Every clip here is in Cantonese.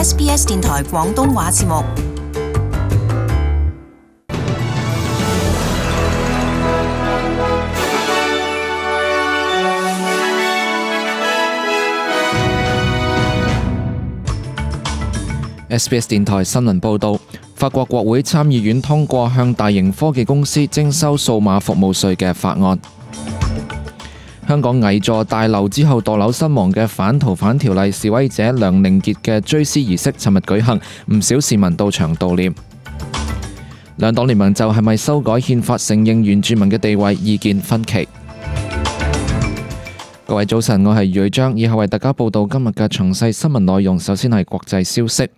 SBS 電台廣東話節目。SBS 電台新聞報導，法國國會參議院通過向大型科技公司徵收數碼服務稅嘅法案。香港危座大樓之後墮樓身亡嘅反逃犯條例示威者梁凌傑嘅追思儀式尋日舉行，唔少市民到場悼念。兩黨聯盟就係咪修改憲法承認原住民嘅地位意見分歧。各位早晨，我係余章，以後為大家報道今日嘅詳細新聞內容。首先係國際消息。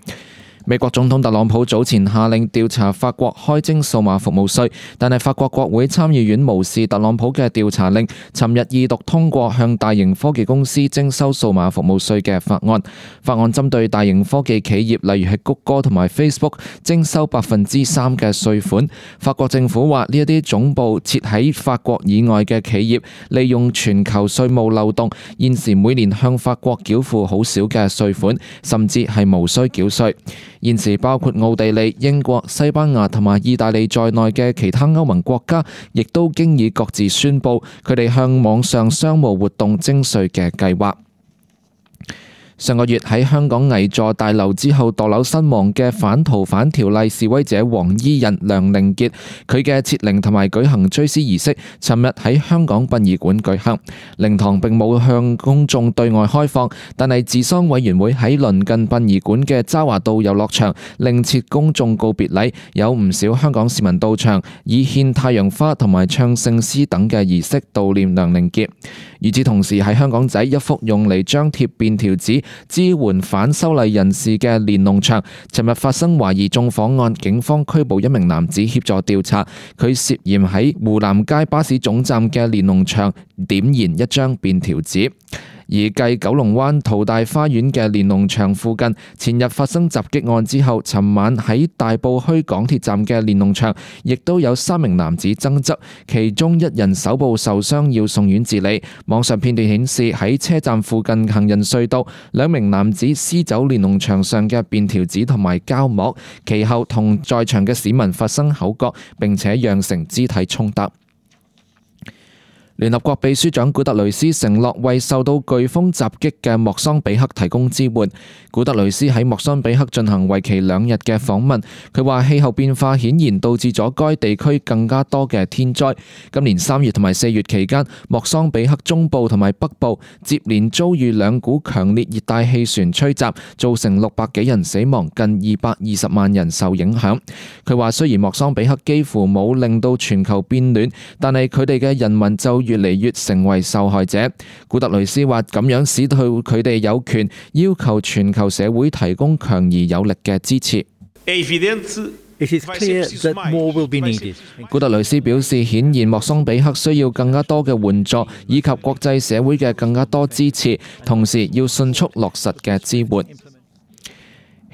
美國總統特朗普早前下令調查法國開徵數碼服務稅，但係法國國會參議院無視特朗普嘅調查令，尋日二讀通過向大型科技公司徵收數碼服務稅嘅法案。法案針對大型科技企業，例如係谷歌同埋 Facebook 徵收3%嘅稅款。法國政府話呢一啲總部設喺法國以外嘅企業，利用全球稅務漏洞，現時每年向法國繳付好少嘅稅款，甚至係無需繳稅。現時包括奧地利、英國、西班牙同埋意大利在內嘅其他歐盟國家，亦都經已各自宣布佢哋向網上商務活動徵稅嘅計劃。上個月喺香港危座大樓之後墮樓身亡嘅反逃犯條例示威者黃衣人梁凌傑，佢嘅設靈同埋舉行追思儀式，尋日喺香港殯儀館舉行。靈堂並冇向公眾對外開放，但係治喪委員會喺鄰近殯儀館嘅渣華道遊樂場另設公眾告別禮，有唔少香港市民到場，以獻太陽花同埋唱聖詩等嘅儀式悼念梁凌傑。與此同時，喺香港仔一幅用嚟張貼便條紙支援反修例人士嘅連儂牆，尋日發生懷疑縱火案，警方拘捕一名男子協助調查，佢涉嫌喺湖南街巴士總站嘅連儂牆點燃一張便條紙。而繼九龍灣淘大花園嘅連儂牆附近前日發生襲擊案之後，尋晚喺大埔墟港鐵站嘅連儂牆亦都有3名男子爭執，其中一人手部受傷要送院治理。網上片段顯示喺車站附近行人隧道，2名男子撕走連儂牆上嘅便條紙同埋膠膜，其後同在場嘅市民發生口角，並且釀成肢體衝突。聯合國秘書長古特雷斯承諾為受到颶風襲擊嘅莫桑比克提供支援。古特雷斯喺莫桑比克進行為期2日嘅訪問，佢話氣候變化顯然導致咗該地區更加多嘅天災。今年3月同埋4月期間，莫桑比克中部同埋北部接連遭遇2股強烈熱帶氣旋吹襲，造成600幾人死亡，近220萬人受影響。佢話雖然莫桑比克幾乎冇令到全球變暖，但係佢哋嘅人民就越嚟越成為受害者。古特雷斯話咁樣使到佢哋有權要求全球社會提供強而有力嘅支持。古特雷斯表示，顯然莫桑比克需要更加多嘅援助，以及國際社會嘅更加多支持，同時要迅速落實嘅支援。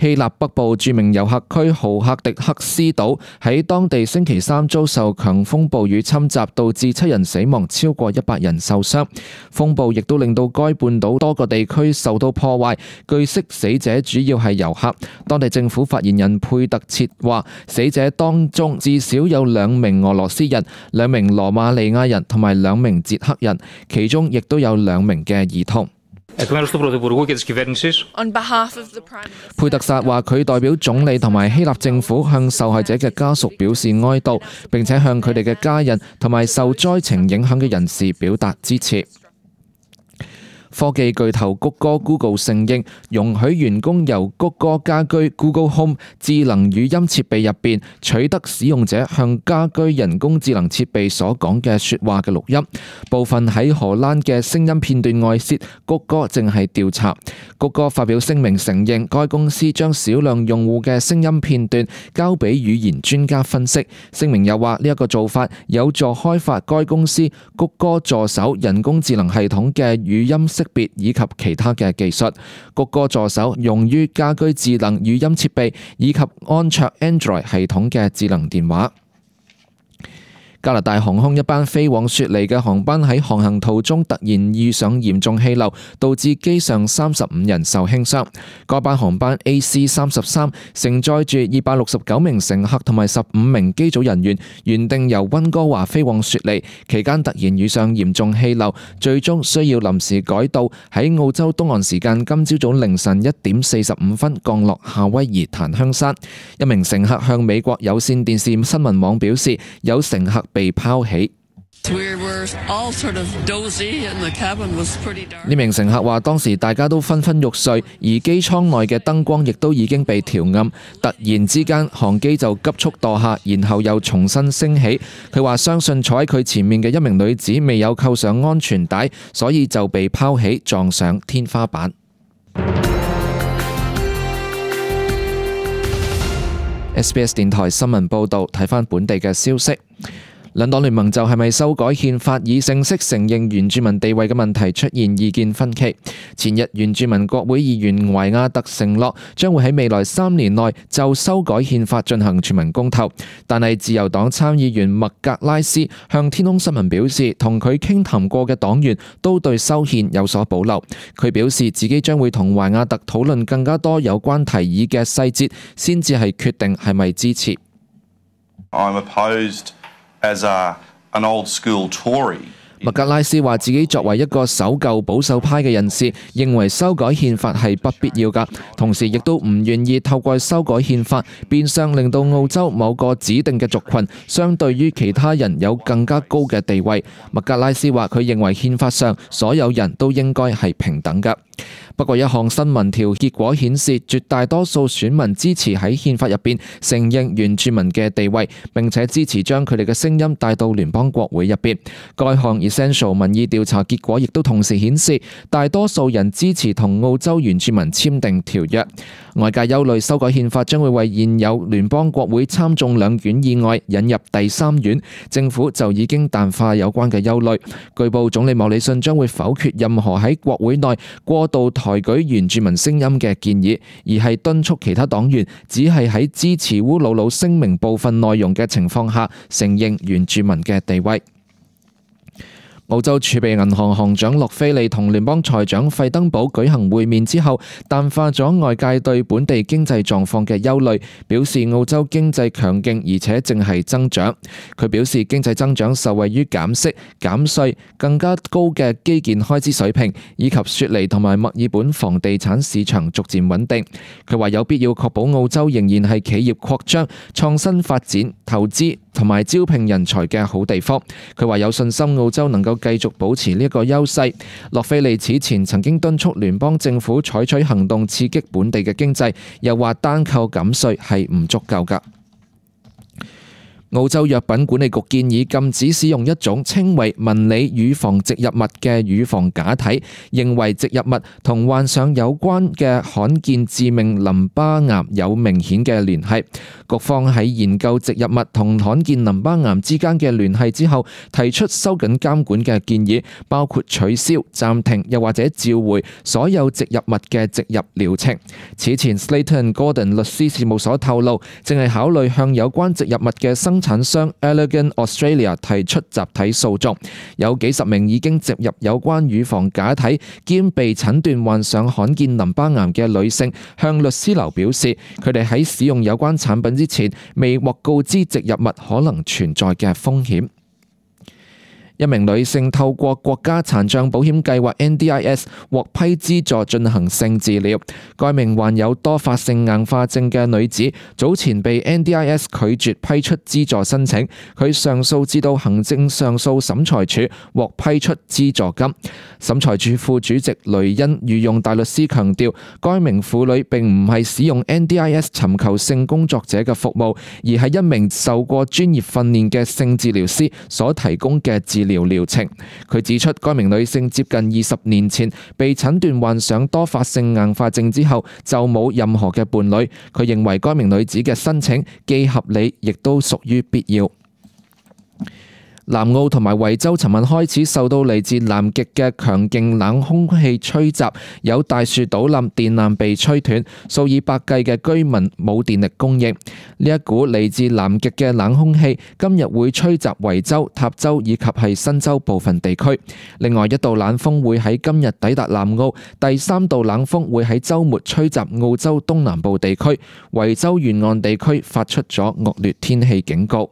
希臘北部著名遊客區豪克迪克斯島喺當地星期3遭受強風暴雨侵襲，導致7人死亡，超過100人受傷。風暴亦都令到該半島多個地區受到破壞，據悉死者主要係遊客。當地政府發言人佩特切話，死者當中至少有2名俄羅斯人、2名羅馬尼亞人同埋2名捷克人，其中亦都有2名嘅兒童。佩特薩話佢代表總理同埋希臘政府向受害者嘅家屬表示哀悼，並且向佢哋嘅家人同埋受災情影響嘅人士表達支持。科技巨頭谷歌 Google 承認容許員工由谷歌家居 Google Home 智能語音設備入邊取得使用者向家居人工智能設備所講嘅說話嘅錄音，部分喺荷蘭嘅聲音片段外泄，谷歌正係調查。谷歌發表聲明承認該公司將少量用戶嘅聲音片段交俾語言專家分析。聲明又話呢一個做法有助開發該公司谷歌助手人工智能系統嘅語音識別以及其他嘅技術。谷歌助手用於家居智能語音設備以及安卓 Android 系統嘅智能電話。加拿大航空一班飛往雪梨嘅航班喺航行途中突然遇上嚴重氣流，導致機上35人受輕傷。該班航班 AC-33 承載住269名乘客同埋15名機組人員，原定由溫哥華飛往雪梨，期間突然遇上嚴重氣流，最終需要臨時改道，喺澳洲東岸時間今朝早凌晨1點45分降落夏威夷檀香山。一名乘客向美國有線電視新聞網表示，有乘客被拋起。呢名乘客話，當時大家都昏昏欲睡，而機艙內嘅燈光亦都已經被調暗。突然之間，航機就急速墮下，然後又重新升起。佢話相信坐喺佢前面嘅一名女子未有扣上安全帶，所以就被拋起撞上天花板。SBS 電台新聞報導，睇返本地嘅消息。兩黨聯盟就係咪修改憲法以正式承認原住民地位嘅問題出現意見分歧。前日原住民國會議員懷亞特承諾將會喺未來3年內就修改憲法進行全民公投，但係自由黨參議員麥格拉斯向天空新聞表示，同佢傾談過嘅黨員都對修憲有所保留。佢表示自己將會同懷亞特討論更加多有關提議嘅細節，先至係決定係咪支持。麥格拉斯話自己作為一個守舊保守派嘅人士，認為修改憲法係不必要㗎，同時亦都唔願意透過修改憲法變相令到澳洲某個指定嘅族群相對於其他人有更加高嘅地位。麥格拉斯話佢認為憲法上所有人都應該係平等㗎。不過一項新民調結果顯示，絕大多數選民支持喺憲法入邊承認原住民嘅地位，並且支持將佢哋嘅聲音帶到聯邦國會入邊。該項 Essential 民意調查結果亦都同時顯示，大多數人支持同澳洲原住民簽訂條約。外界憂慮修改憲法將會為現有聯邦國會參眾兩院以外引入第3院，政府就已經淡化有關嘅憂慮。據報總理莫里遜將會否決任何喺國會內過度抬舉原住民聲音嘅建議，而係敦促其他黨員只係喺支持烏魯魯聲明部分內容嘅情況下承認原住民嘅地位。澳洲儲備銀行行長洛菲利同聯邦財長費登堡舉行會面之後，淡化咗外界對本地經濟狀況嘅憂慮，表示澳洲經濟強勁而且正係增長。佢表示經濟增長受惠於減息、減稅、更加高嘅基建開支水平，以及雪梨同埋墨爾本房地產市場逐漸穩定。佢話有必要確保澳洲仍然係企業擴張、創新發展、投資同埋招聘人才嘅好地方。佢話有信心澳洲能夠繼續保持呢一個優勢。洛菲利此前曾經敦促聯邦政府採取行動刺激本地嘅經濟，又話單靠減稅係唔足夠㗎。澳洲藥品管理局建議禁止使用一種稱為紋理乳房植入物嘅乳房假體，認為植入物同患上有關嘅罕見致命淋巴癌有明顯嘅聯繫。局方喺研究植入物同罕見淋巴癌之間嘅聯繫之後，提出收緊監管嘅建議，包括取消、暫停又或者召回所有植入物嘅植入療程。此前 Slater & Gordon 律師事務所透露，正係考慮向有關植入物嘅生產商 Allergan Australia 提出集體訴訟。有幾十名已經植入有關乳房假體兼被診斷患上罕見淋巴癌嘅女性向律師樓表示，佢哋喺使用有關產品之前未獲告知植入物可能存在嘅風險。一名女性透過國家殘障保險計劃 NDIS 獲批資助進行性治療。該名患有多發性硬化症嘅女子早前被 NDIS 拒絕批出資助申請，佢上訴至到行政上訴審裁處獲批出資助金。審裁處副主席雷恩御用大律師強調，該名婦女並唔係使用 NDIS 尋求性工作者嘅服務，而係一名受過專業訓練嘅性治療師所提供嘅治療程。佢指出，該名女性接近20年前被診斷患上多發性硬化症之後，就冇任何嘅伴侶。佢認為該名女子嘅申請既合理，亦都屬於必要。南澳同埋維州尋日開始受到嚟自南極嘅強勁冷空氣吹襲，有大樹倒冧、電纜被吹斷，數以百計嘅居民冇電力供應。呢一股嚟自南極嘅冷空氣今日會吹襲維州、塔州以及係新州部分地區。另外一道冷鋒會喺今日抵達南澳，第3道冷鋒會喺週末吹襲澳洲東南部地區，維州沿岸地區發出咗惡劣天氣警告。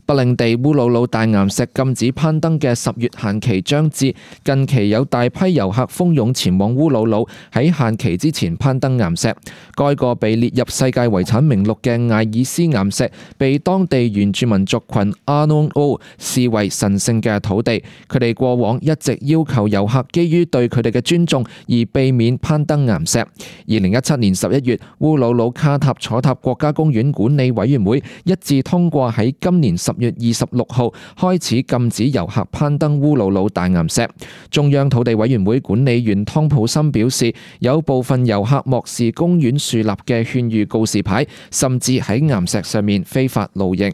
北領地烏魯魯大岩石禁止攀登嘅10月限期將至，近期有大批遊客蜂擁前往烏魯魯，喺限期之前攀登岩石。該個被列入世界遺產名錄嘅艾爾斯岩石，被當地原住民族群阿諾奧視為神聖嘅土地。佢哋過往一直要求遊客基於對佢哋嘅尊重而避免攀登岩石。2017年11月，烏魯魯卡塔楚塔國家公園管理委員會一致通過喺今年10月26號開始禁止遊客攀登烏魯魯大岩石。中央土地委員會管理員湯普森表示，有部分遊客漠視公園樹立嘅勸喻告示牌，甚至喺岩石上面非法露營。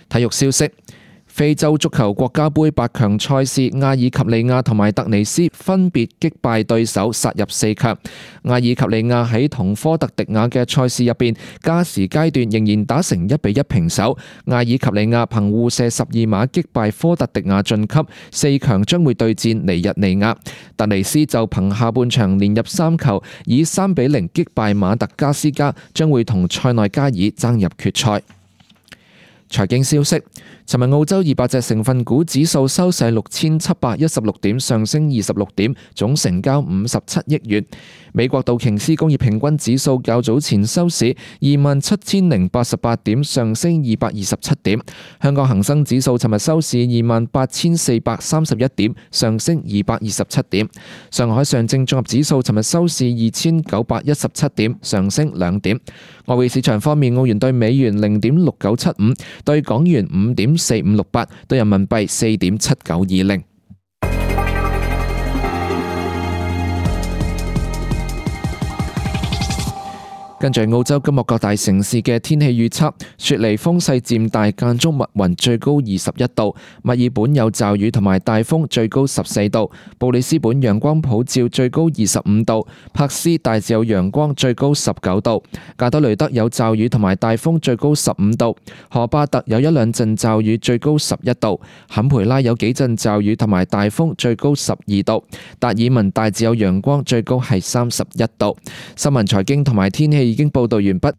體育消息。非洲足球國家盃8強賽事，阿爾及利亞同埋突尼斯分別擊敗對手殺入4強。阿爾及利亞喺同科特迪瓦嘅賽事入邊，加時階段仍然打成1-1平手。阿爾及利亞憑互射12碼擊敗科特迪瓦晉級，4強將會對戰尼日利亞。突尼斯就憑下半場連入3球，以3-0擊敗馬特加斯加，將會同塞內加爾爭入決賽。財經消息，尋日澳洲200隻成分股指數收市6716點，上升26點，總成交57億元。美國道瓊斯工業平均指數較早前收市27088點，上升227點。香港恒生指數尋日收市28431點，上升227點。上海上證綜合指數尋日收市2917點，上升2點。外匯市場方面，澳元對美元0.6975，對港元5.4568，對人民幣4.7920。跟住澳洲今日各大城市嘅天氣預測：雪梨風勢漸大，間中密雲，最高21度；墨爾本有驟雨同埋大風，最高14度；布里斯本陽光普照，最高25度；珀斯大致有陽光，最高19度；加德雷德有驟雨同埋大風，最高15度；荷巴特有一兩陣驟雨，最高11度；坎培拉有幾陣驟雨同埋大風，最高12度；達爾文大致有陽光，最高係31度。新聞財經同埋天氣已經報道完畢。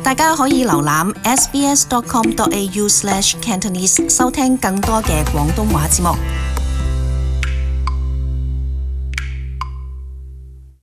大家可以瀏覽 sbs.com.au/cantonese 收聽更多嘅廣東話節目。